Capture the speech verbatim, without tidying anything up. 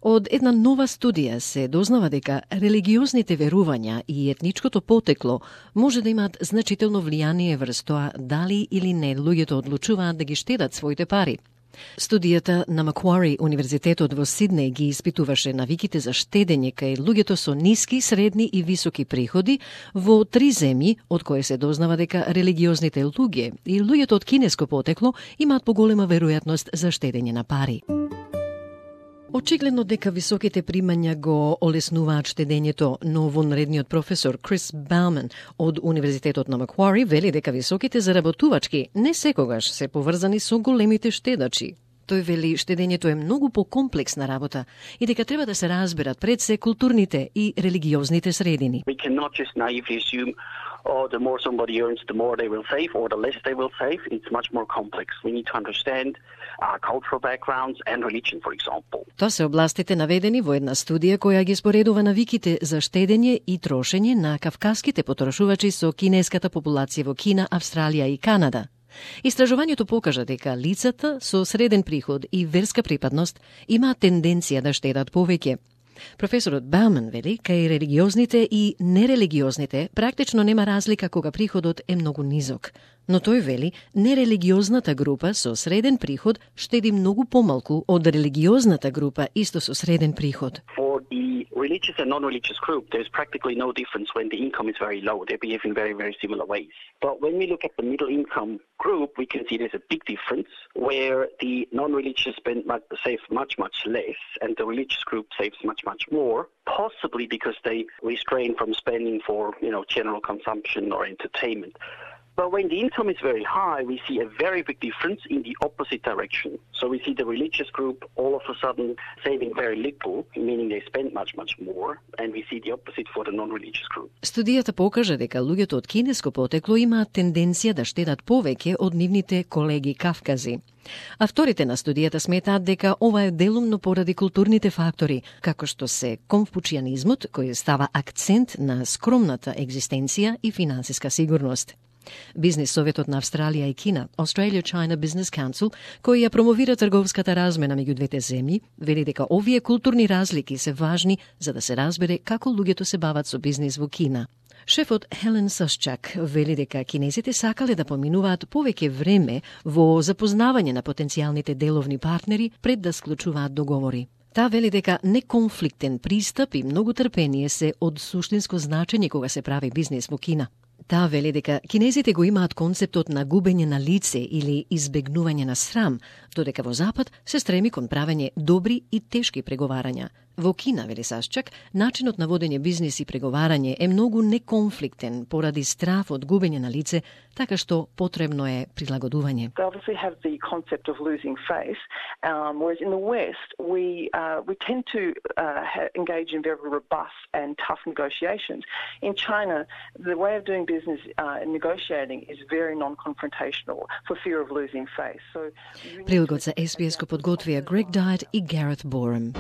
Од една нова студија се дознава дека религиозните верувања и етничкото потекло може да имаат значително влијание врз тоа дали или не луѓето одлучуваат да ги штедат своите пари. Студијата на Маквари Универзитетот во Сиднеј ги испитуваше навиките за штедење кај луѓето со ниски, средни и високи приходи во три земји, од кои се дознава дека религиозните луѓе и луѓето од кинеско потекло имаат поголема веројатност за штедење на пари. Очигледно дека високите примања го олеснуваат штедењето, но вонредниот професор Крис Бауман од Универзитетот на Маквари вели дека високите заработувачки не секогаш се поврзани со големите штедачи. Тој вели штедењето е многу покомплексна работа и дека треба да се разберат пред се културните и религиозните средини. We cannot just naively assume oh, the more somebody earns, the more they will save, or the less they will save. It's much more complex. We need to understand uh, cultural backgrounds and religion, for example. Тоа се областите наведени во една студија која ги споредува навиките за штедење и трошење на кавказските потрошувачи со кинеската популација во Кина, Австралија и Канада. Истражувањето покажа дека лицата со среден приход и верска припадност имаат тенденција да штедат повеќе. Професорот Бауман вели, кај религиозните и нерелигиозните практично нема разлика кога приходот е многу низок. Но тој вели, нерелигиозната група со среден приход штеди многу помалку од религиозната група исто со среден приход. For the religious and non-religious group, there's practically no difference when the income is very low. They behave in very, very similar ways. But when we look at the middle income group, we can see there's a big difference where the non-religious spend much, save much, much less, and the religious group saves much, much more, possibly because they restrain from spending for, you know, general consumption or entertainment. But when the income is very high, we see a very big difference in the opposite direction. So we see the religious group all of a sudden saving very little, meaning they spend much, much more, and we see the opposite for the non-religious group. Студијата покажа дека луѓето од кинеско потекло имаат тенденција да штедат повеќе од нивните колеги кавкази. Авторите на студијата сметаат дека ова е делумно поради културните фактори, како што се конфуцијанизмот, кој става акцент на скромната екзистенција и финансиска сигурност. Бизнес советот на Австралија и Кина, Australia-China Business Council, кој ја промовира трговската размена меѓу двете земји, вели дека овие културни разлики се важни за да се разбере како луѓето се бават со бизнес во Кина. Шефот Хелен Сасчак вели дека кинезите сакале да поминуваат повеќе време во запознавање на потенцијалните деловни партнери пред да склучуваат договори. Таа вели дека неконфликтен пристап и многу трпение се од суштинско значење кога се прави бизнес во Кина. Таа вели дека кинезите го имаат концептот на губење на лице или избегнување на срам, додека во Запад се стреми кон правење добри и тешки преговарања. Во Кина, вели Сасчак, начинот на водење бизнес и преговарање е многу неконфликтен поради страф од губење на лице, така што потребно е прилагодување. They obviously have the concept of losing face, um, whereas in the West we uh, we tend to uh, ha- engage in very robust and tough negotiations. In China, the way of doing business uh, and negotiating is very non-confrontational for fear of losing face. So Прилогот за Ес Би Ес го подготвија Грег Дайет и Гарет Борем.